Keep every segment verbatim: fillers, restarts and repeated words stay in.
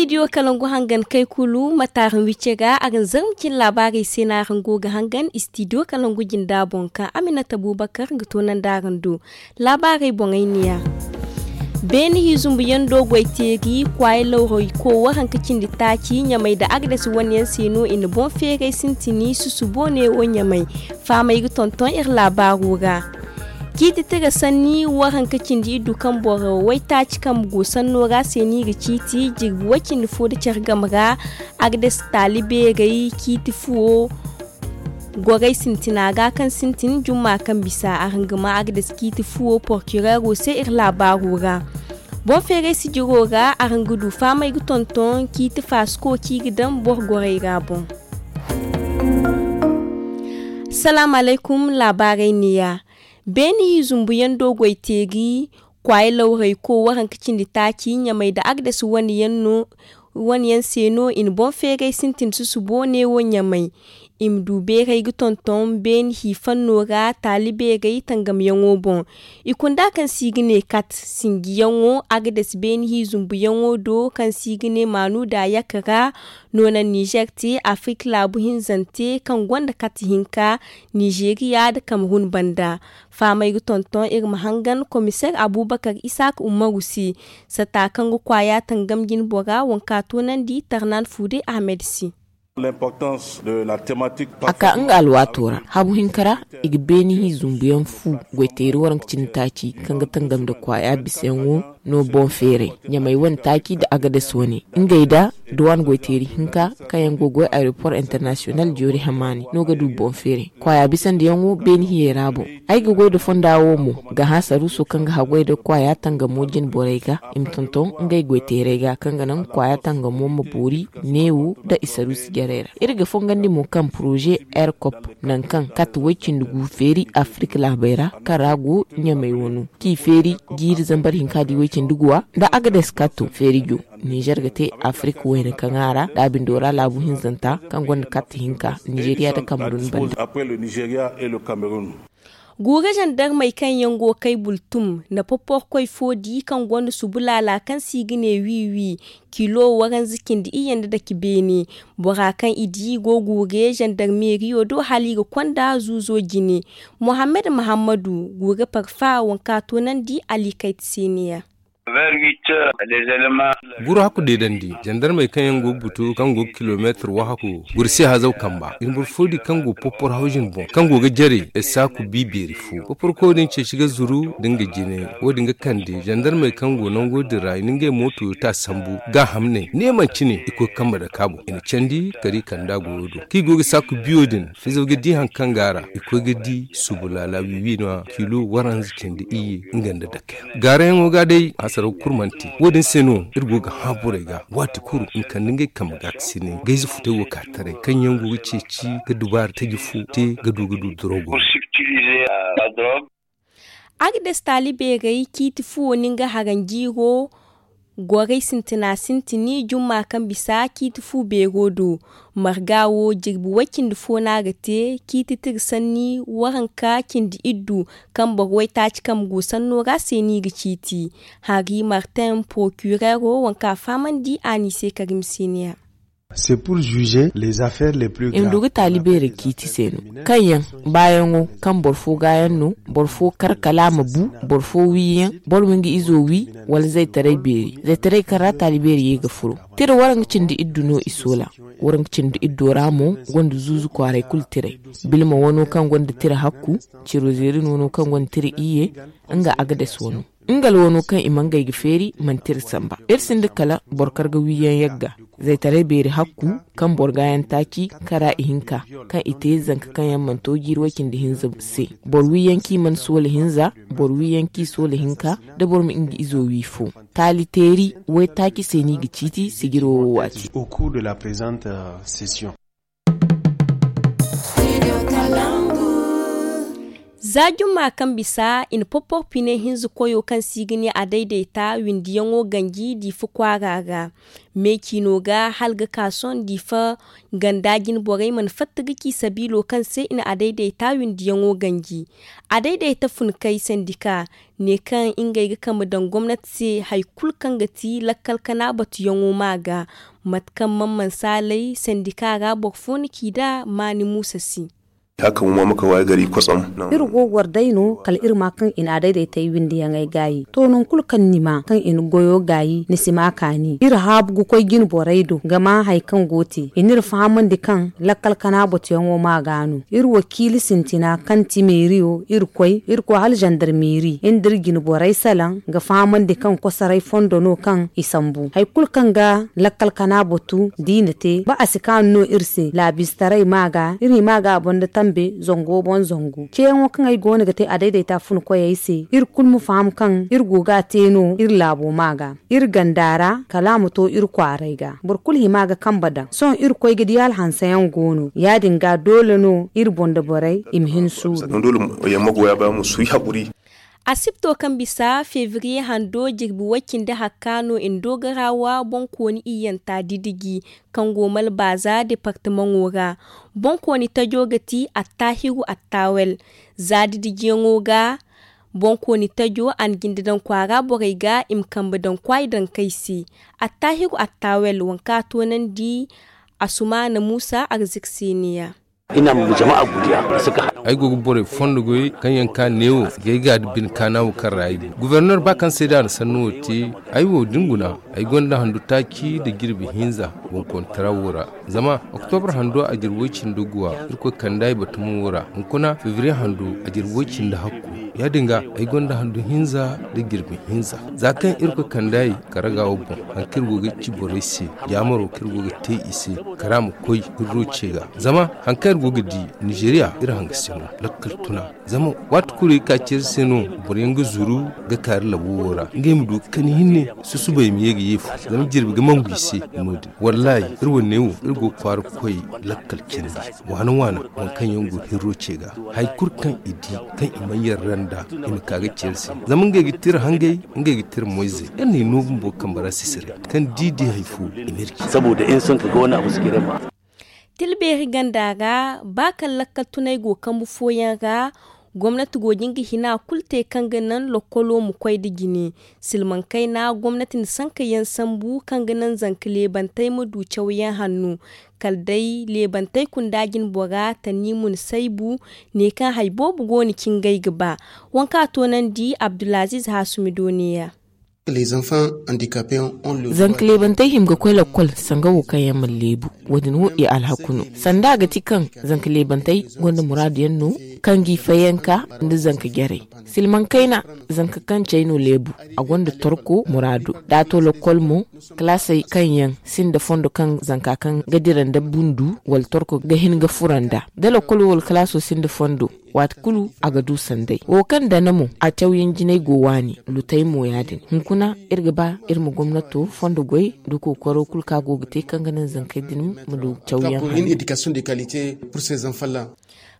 Istidiyo kalangu hangan kay kulu ma taaran wicce ga araŋ zarma cine laabaarey se no araŋ go ga hangan istidiyo kalangu jinda boŋ kaŋ aminata bubakar ga toonandi araŋ do. Laabaarey boŋey neeya. Beene hiizumbu yaŋ do goy teeri kwaaya lawray ko waranka cindi taaci ɲamay nda agades wane yaŋ se no i na boŋ feeray sintini susubo neewo ɲamay. Faamay ga tonton iri laabaaro ra. Ciiti tira sanni waranka cindi iddu kaŋ boro waytaaci kambe go sanno ra se no i ga ciiti jirbi way cindi fo nda care game ra. Agades taali beerey ciiti fuwo goray sintina ga kaŋ sintin jumma kaŋ bisa araŋ ga ma agades ciiti fuwo porkireero se iri laabaaro ra. Boŋ feeray sijiro ra araŋ ga du faamay ga tonton ciiti faasiko kaŋ i ga daŋ boro goray ra boŋ. Salaamu alaykum. Laabaarey neeya. Beene hiizumbu yaŋ do goy teeri kwaaya lawray ko waranka cindi taaci ɲamay nda agades wane yaŋ no wane yaŋ se no i na boŋ feeray sintin susubo neewo ɲamay. I ma du beeray ga tonton beene hi fanno ra taali beeray tangamyaŋo boŋ. I kunda kaŋ se i ga ne kat sinjiyaŋo agades beene hi zumbuyaŋo do kaŋ se i ga ne maanuda yakka ra. Noona nizer te afirik laabu hinzante kaŋ gonda kat hinka nizeriya nda kamerun banda. Faamay ga tonton iri ma hangan komiseer abubakar isaak umaru se sata kaŋ ga kwaaya tangam jine bora wanka toonandi tarnan fuude ahmed se. A ka nga alwaato ra habu hinka ra i ga beeni hi zumbuyaŋ fu goyteeri waranka cindi taaci kaŋ ga tangam nda kwaaya bisayaŋo no boŋ feeray ɲamay wane taaci nda agades wane ngey da duwaan goyteeri hinka kaŋ yaŋ go ga goy aeroport internasiyonal joori hamaani no ga du boŋ feeray kwaaya bisandiyaŋo beeni hiyey ra boŋ. Ay ga goy nda fonda wo mo ga hã saruuso kaŋ ga haggoy nda kwaaya tangamo jine borey ga i ma tonton ngey goyteerey ga kaŋ ga naŋ kwaaya tangamo ma boori neewo nda i saruusi jarey ra. Iri ga fongandi mo kaŋ poroze aircop nangu kaŋ kate way-cindi gu feeri afirik laabey ra kaŋ ra go ɲamey wano kaŋ i feeri jiiri zambar hinka di way-cindi guwa nda agades kato feeri jo. Nizer ga te afirik wayna kaŋ a ra da a bindo ra laabu hinzanta kaŋ gonda karte hinka nizeriya nda kamerun banda. Guure zandarmey kaŋ yaŋ go kay bultum na poporkoy fo di kaŋ gonda subu laala kaŋ se i ga ne wi wi kilo waranza cindi iyye nda dake beene. Bora kaŋ i di go guure zandarmeriyo do hala i ga konda zuuzo jine. Mohammed mahammadu guure parfa wanka toonandi ali kayta se neeya. Guru hakku deedandi zandarmey kaŋ yaŋ go ga butu kaŋ go ga kilomeetir wahaku guru se hazaw kamba i na boro fo di kaŋ go popor hawzin boŋ kaŋ go ga jare ay saaku bi beeri fo poporko din ceeci ga zuru da nga jine. Wo- din ga kande zandarmey kaŋ go nango din ra i na ngey mooto ta sambu ga hamney ne manci ne i koy ga kambe dake a boŋ i na candi kala i kand'a goyo do kaŋ i go ga saaku biyo din fizaw ga di hari kaŋ go a ra i koy ga di subu laala wiwi no- ya kilo waranza cindi iyye nga nda dake. Gaarayaŋo ga day hasaraw kulu mana te wo- din se no iri go ga hã borey ga waati kulu i ma kande ngey kambe gaakasinay gayze futay wo ka taray kaŋ yaŋ go ga ceeci ga dubaara taji fo te ga du ga du dorogo. Agdes taali beerey ciiti fuwo no nga haranjiiro goray sintina sintini jumma kaŋ bisa ciiti fu beero do. Marga wo jirbi way cindi fo no a ga te ciiti tira sanni waranka cindi iddu kaŋ boro waytaaci kambe go sanno ra se no i ga ciiti. Hari martin porokireero waŋ kaŋ a fahamandi a n'i se karim se neeya. I ma du ga taali beerey ciiti se no kaŋ yaŋ baayaŋo kaŋ boro fo gaayaŋ no boro fo kar kala a ma bu boro fo wiiyaŋ boro ma nga izo wii wala zaytaray beeri zaytaray kaŋ ra taali beeri ye ga furo. Tira waranka cindi iddu no i soola. Waranka cindi iddo ra mo gonda zuuzu kwaaray kulu tiray. Bilma wano kaŋ gonda tira hakku cirozerin wano kaŋ gonda tira iyye nga agades wano. Nga alwano kaŋ i ma ngey ga feeri manti iri samba iri sinda kala boro kaŋ ga wiiyaŋ yagga zaytaray beeri hakku kaŋ boro gaayaŋ taaci kaŋ ra ihinka kaŋ i te zanka kaŋ yaŋ mana to jiiri way cindi hinza se. Boro wiiyaŋ kaŋ i mana soola hinza boro wiiyaŋ kaŋ i soola hinka da boro ma nga izo wii fo. Taali teeri waytaaci se no i ga ciiti sijiro wo waati. Za jumma kaŋ bisa i na poporpine hinza koyo kaŋ se i ga ne a dayday ta windiyaŋo ganji diifa kwaara ra. Me ciino ga hala ga ka sohõ diifa ganda jine borey mana fatta ga ci sabiilo kaŋ se i na a dayday ta windiyaŋo ganji. A dayday ta fun kay sandika ne kaŋ ngey ga kambe daŋ gomnati se hari kulu kaŋ ga ti lakkal kana batuyaŋo ma ga. Mate kaŋ man man saalay sandika ra boro fo na ci nd'a maani muusa se. Iri go ga war day no kala iri ma kaŋ i na a dayday tay windiyaŋey gaayi to nangu kulu kaŋ ni ma kaŋ i na goyo gaayi ni si ma kaani iri haabu ga koy jine borey do ga ma hari kaŋ go te i n'iri fahamandi kaŋ lakkal kana batuyaŋo ma ga no iri wakiili sintina kaŋ ti meeriyo iri koy iri koy hala zandarmeeri iri nda iri jine borey salaŋ ga fahamandi kaŋ kosoray fondo no kaŋ i sambu hari kulu kaŋ ga lakkal kana batu da i na te ba a si kaanu no iri se laabiistaray ma ga iri ma ga a boŋ da tambe zango boŋ zangu ceeyaŋo kaŋ ay go no ga te a dayday ta fun koyey se iri kulu ma faham kaŋ iri go ga a te no iri laabo ma ga iri ganda ra kala a ma to iri kwaaray ga boro kulu hima ga kambe daŋ sohõ iri koy ga di hala hanseyaŋ go no ya- din ga doole no iri boŋ da borey i ma hin suuru. Asibto kaŋ bisa febriye hando jirbi way cindi hakka no ndoogarawa boŋkooni iyyanta didiji kaŋ go malbaaza departamaŋo ra. Boŋkooni tajo ga ti attaahiru attaawel. Za didijiyaŋo ga boŋkooni tajo a na jinde daŋ kwaara borey ga i ma kambe daŋ kwaayi daŋ kay se. Attaahiru attaawel waŋ kaŋ a toonandi asumaana muusa arziki se ne ya. Ay go ga borey fondo goy kaŋ yaŋ ka neewo ga ay ga da bine kaana wo kaŋ ra ay go gofornor ba kaŋ se da a na sannu wo te. Ay wo da ni guna ay gonda handu taaci nda jirbi hinza boŋkooni tara wo ra. Zama oktobar hando a jirbi way cindi guwa irkoy kande ay batumo wo ra hunkuna febriye hando a jirbi way cindi hakku. Ya- din ga ay gonda handu hinza nda jirbi hinza za kaŋ irkoy kande ay karaga wo boŋ hari kaŋ iri go ga ci borey se jaamaro kaŋ iri go ga te i se kala a ma koy hirro ce ga. Zama hari kaŋ iri go ga di nizeriya iri hanga se no lakkal tuna. Zama waati kulu iri ka ceeri se no boro yaŋ ga zuru ga ka iri labo wo ra ngey ma du ga kani hinne. Susubay ma ye ga ye fu zama jirbi ga mangu i se. No- din wallahi iri wane wo iri go ga kwaara koy lakkal cindi waana waana. Waŋ kaŋ yaŋ go hirro ce ga hari kulu kaŋ i di kaŋ i mana yarra nd'a i ma ka ga ceeri se. Zama ngey ga tira hangey ngey ga tira moyzey iri na i no bumbo kambe ra sisiray kaŋ da i di hari fo i ma iri ci. Tilbeeri ganda ra ba kaŋ lakkal tunay go kambu fooyaŋ ra gomnati go ga hin ga hina kulu te kaŋ ga naŋ lokkolo ma koy nda jine. Silmaŋ kayna gomnati na sanka yaŋ sambu kaŋ ga naŋ zanka leebantey ma du cawyaŋ hanno. Kala day leebantey kunda jine bora tanni mun saybu ne kaŋ hari boobo go no ci ngey ga ba. Waŋ kaŋ a toonandi abdulaziiz haasumi do ne ya. Zanka leebantey hima ga koy lakkol sanga wo kaŋ yaŋ mana leebu. Wo- din wo i alhaku no sanda a ga ti kaŋ zanka leebantey gonda muraadu yaŋ no kaŋ g'i fayyanka nda zanka jarey. Silmaŋ kayna zanka kaŋ cay no leebu a gonda torko muraado da a to lakkol mo kalaasey kaŋ yaŋ sinda fondo kaŋ zanka kaŋ ga dira nda bundu wala torko ga hin ga fura nd'a da lakkolo wala kalaaso sinda fondo. Waati kulu a ga du sanday wo kaŋ dana mo a cawyaŋ jinay go waani lutay mo ya- din hunkuna iri ga ba iri ma gomnato fondo goy nda kookaro kulu kaŋ a go ga te kaŋ ga naŋ zankey din ma du cawyaŋ hanno.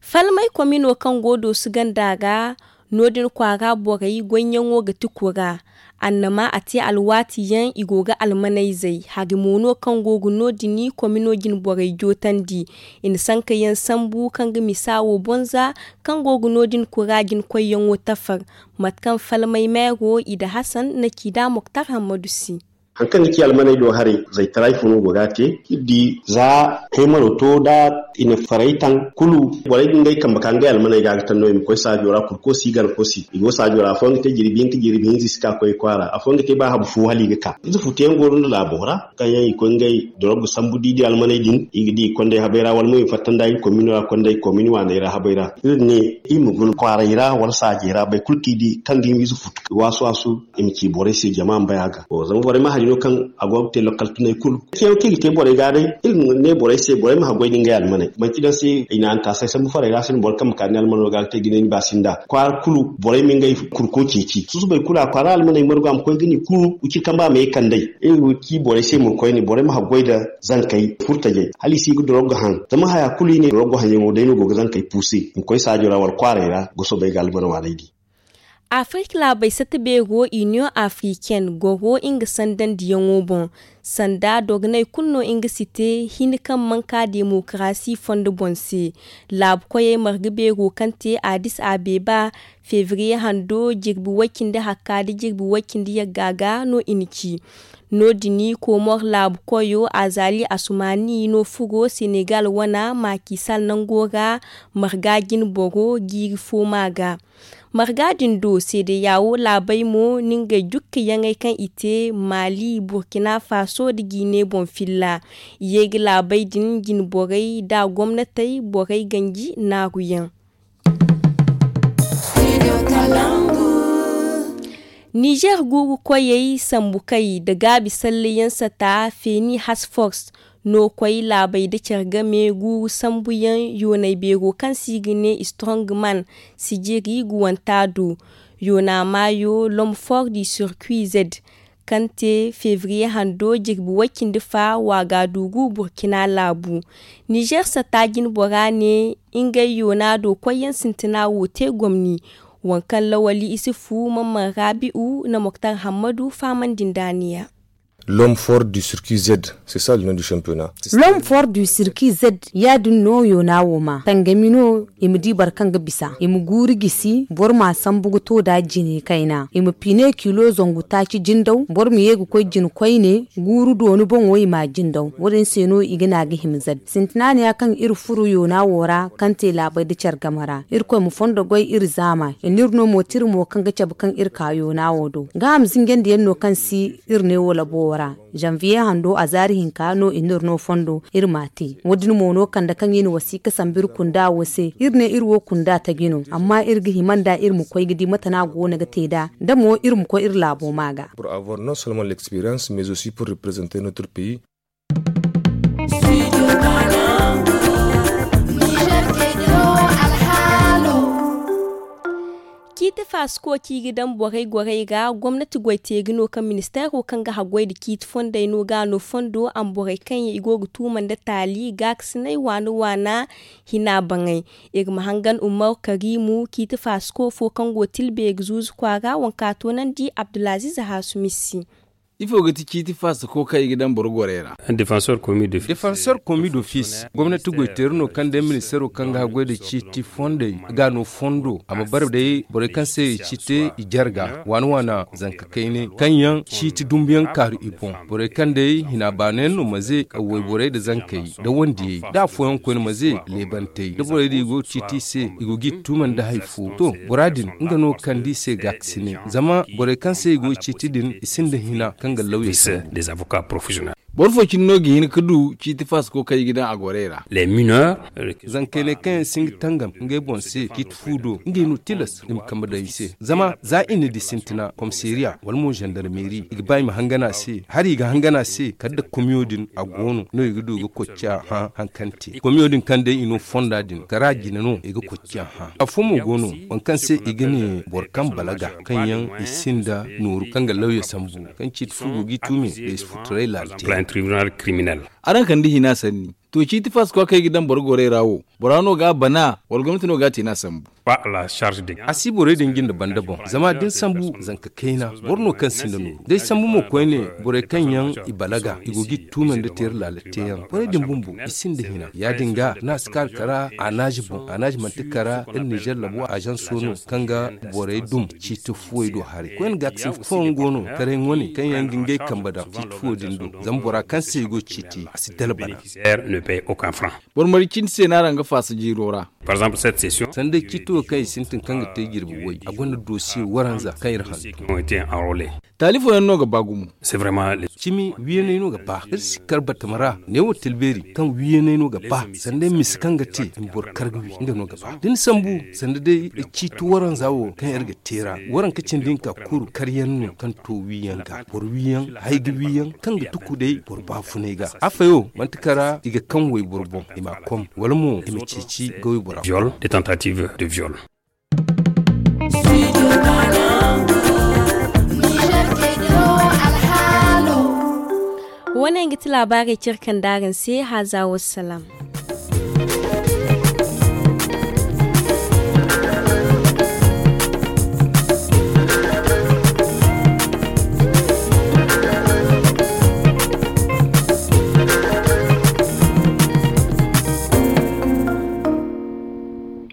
Falmay komino kaŋ go doosu ganda ra no- din kwaara borey goyyaŋo ga ti kura. Annama a te alwaati yaŋ i go ga almanayzey hari mo no kaŋ go ga no- din komino jine borey jootandi. I na sanka yaŋ sambu kaŋ ga misa wo bonza kaŋ go ga no- din kura jine koyyaŋo tafar. Mate kaŋ falmay meero i da hasan na ci da moktar hammadu si. Hari kaŋ ga ci almaney do haray zaytaray fo no go ga a te iri di za kaymaro to da i na faray taŋ kulu borey ga ngey kambe ka ngey almaney ga ga taŋ no i ma koy saajo ra kurkosi gana kosi i go saajo ra afooyaŋ ga te jirbi hinka jirbi hinza i si ka koy kwaara afooyaŋ ga te ba habu fo hala i ga ka ize futuyaŋ go no laabo ra kaŋ yaŋ i koy ngey dorog ga sambu da i di almaney din i ga di i kondey habey ra wala mo i ma fatta nda iri komino ra kondey komino waaney ra habey ra iri ne iri ma guna kwaaray ra wala saajey ra boro kulu kaŋ i di kaŋ ga i ma ize futu waasu waasu i ma ci borey se jama ma bay a ga zama borey ma. No kaŋ a go ga te lokal tunay kulu. Ceewo kaŋ i ga te borey ga day, iri ne borey se, borey ma haggoy da ngey almaney. Manti daŋ se i na antaasay sambu farey ra, se no boro kaŋ ma ka ni almano ga te ga ne ni ba sinda. Kwaara kulu borey ma ngey kurko ceeci. Susubay kulu a kwaara almaney margu a ma koy ga ni kulu, wiciri kamba ma ye kand'ey. Iri ga ci borey se mo koyne, borey ma haggoy da zankey furtajey. Hala i si ga dorog haŋ. Zama haya kulu i ne dorog haŋyaŋo day no go ga zankey puuse. I ma koy saajo ra wala kwaarey ra, ga soobay ga almano waaney di. Afirka laabey satta beero, Union Africaine, goro nga sandandiyaŋo boŋ. Sanda dogonay kulu no nga si te, hin kaŋ manka demokarasi fondo boŋ se. Laabu koyey marga beero kaŋ te Addis Abeba, febriye hando, jirbi way cindi hakka nda jirbi way cindi yagga ga no i na ci. No-din, Komor laabu koyo Azali Asumani no furo Senegal wana Macky Sall nango ra, marga jine boro jiiri fo ma ga. Marga din do, seedeyawo laabey mo na ngey jukka yaŋey kaŋ i te Mali, Burkina Faso nda Guinée boŋ filla. I ye ga laabey din jine borey nda gomnatey borey ganji naaruyaŋ. Nizer guuru koyey sambu kay nda gaabi salleyaŋ sata Feni Hasfors no koy laabey nda care game guuru sambuyaŋ yoonay beero kaŋ se i ga ne Strongman sijiri guwanta do. Yoona maayo L'Homme Fort du Circuit Z kaŋ te febriye hando jirbi way cindi fa Wagadugu Burkina laabu. Nizer satta jine bora ne ngey yoona do koyyaŋ sintina wo te gomni. Waŋ kaŋ Lawali Isufu, Mamman Rabi'u na Moktar Hammadu fahamandi nda a ne ya. L'homme fort du circuit Z, c'est ça le nom du championnat. L'homme fort du circuit Z, ya-din no yoona wo ma tangami no. I ma di boro kaŋ ga bisa, i ma guuru gisi, boro ma sambu ga to da jine kayna, i ma pine kilo zangu taaci jindaw, boro ma ye ga koy jine koyne, guuru dooni boŋo i ma jindaw. Wo-din se no i ga ne a ga hima Z. Sintina ne ya kaŋ iri furo yoona wo ra, kaŋ te laabey nda care game ra. Irkoy ma fondo goy iri zaama, i n'iri no mo tira mo kaŋ ga cabe kaŋ iri ka yoona wo do. Gaaham zinjandiyaŋ no kaŋ si iri ne wo labo wo ra. Janvier hando a zaari hinka no i n'iri no fondo iri ma a te. Wo-din mo no kande kaŋ i na wasiika sambu iri kunda wo se. Iri ne iri wo kunda taji no, amma iri ga hima nda iri ma koy ga di mate no a goono ga te nd'a, da mo iri ma koy iri laabo ma ga. Pour avoir non seulement l'expérience, mais aussi pour représenter notre pays. Ciiti faasiko kaŋ i ga daŋ borey gorey ra, gomnati goy-teeri no kaŋ ministeero kaŋ ga haggoy nda ciiti fondey no ga a no fondo a ma borey kaŋ yaŋ i go ga tuuma nda taali gaakasinay waana-waana hina baŋay. Iri ma hangan Umaru Kariimu, ciiti faasiko fo kaŋ go Tilbeeri zuuzu kwaara, waŋ kaŋ a toonandi Abdulaziiz Haasumi se. Ifo ga ti ciiti faasako kaŋ i ga daŋ boro gorey ra? Defenseur commis d'office. Defenseur commis d'office, gomnati goy-teeri no kaŋ day ministeero kaŋ ga haggoy nda ciiti fondey ga no fondo a ma bare day borey kaŋ se i ciiti i jarga waana-waana zanka kayne kaŋ yaŋ ciiti dumbuyaŋ kaaru i boŋ. Borey kaŋ day hina baanayaŋ no ma ze wayborey nda zankey nda wandiyey da afooyaŋ koyne ma ze leebantey da borey din i go ga ciiti i se, i go ga i tuuma nda hari fo. To, bora din nga no kaŋ da i se gaakasine. Zama borey kaŋ se i go ga ciiti din, i sinda hina kaŋ ga lawya sambu. Boro fo cine no ga hin ga du ciiti faasako kaŋ i ga daŋ a gorey ra? Zankey ne kaŋ yaŋ si hin ga tangam ngey boŋ se ciiti fu do, ngey no tilas i ma kambe daŋ i se. Zama za i na di sintina komisariya wala mo zandarmeri, i ga ba i ma hangan a se. Hari i ga hangan a se kala nda komiyo din a go no no i ga du ga koy ciya hã hari kaŋ te komiyo din kaŋ day i no fonda din kara jine no i ga koy ciya hã. Afo mo go no waŋ kaŋ se i ga ne boro kaŋ balaga, kaŋ yaŋ i sinda nooru kaŋ ga lawya sambu, kaŋ ciiti fu go ga i tuume da i si furtaray laala te. Araŋ kande hina sanni. To, ciiti faasako kaŋ i ga daŋ boro gorey ra wo, bora no ga a bana wala gomnati no ga a te no a sambu? A si borey din jinde banda boŋ, zama da ni sambu zanka kayna, boro no kaŋ sinda nooru. Day sambu mo koyne, borey kaŋ yaŋ i balaga i go ga i tuume nda teeri laala teeyaŋ, borey din bumbo i sinda hina. Ya-din ga no a si ka ga kara anaazi boŋ. Anaazi manti kara iri nizer labo azanso no kaŋ ga borey dum ciiti fuwey do haray. Koyne gaakasin fooyaŋ go no taray ŋwane kaŋ yaŋ ga ngey kambe daŋ ciiti fuwo din do. Zama bora kaŋ se i go ga ciiti a si dala bana. Boro maricindi se no araŋ ga faasa jiiro ra. Sanda ciito kaŋ i sintin kaŋ ga te jirbi way, a gonda dosiye waranza kaŋ iri handu. Taali fooyaŋ no ga ba gumo. Cimi wiyaney no ga ba iri si kar batama ra. Neewo tilbeeri kaŋ wiyaney no ga ba sanda misa kaŋ ga te i ma boro kar ga wi nga no ga ba da ni sambu. Sanda day ciito waranza wo kaŋ iri ga te ra, waranka cindi hinka kulu karyaŋ no kaŋ to wiyaŋ ga boro wiyaŋ, hay ga wiyaŋ kaŋ ga tuku day boro baafunay ga. Affayo manti kara i ga kaŋ wayboro boŋ i ma a kom, wala mo i ma ceeci ga waybora. Wane ga ti laabaarey cire kaŋ daaraŋ se haaza wassalaam.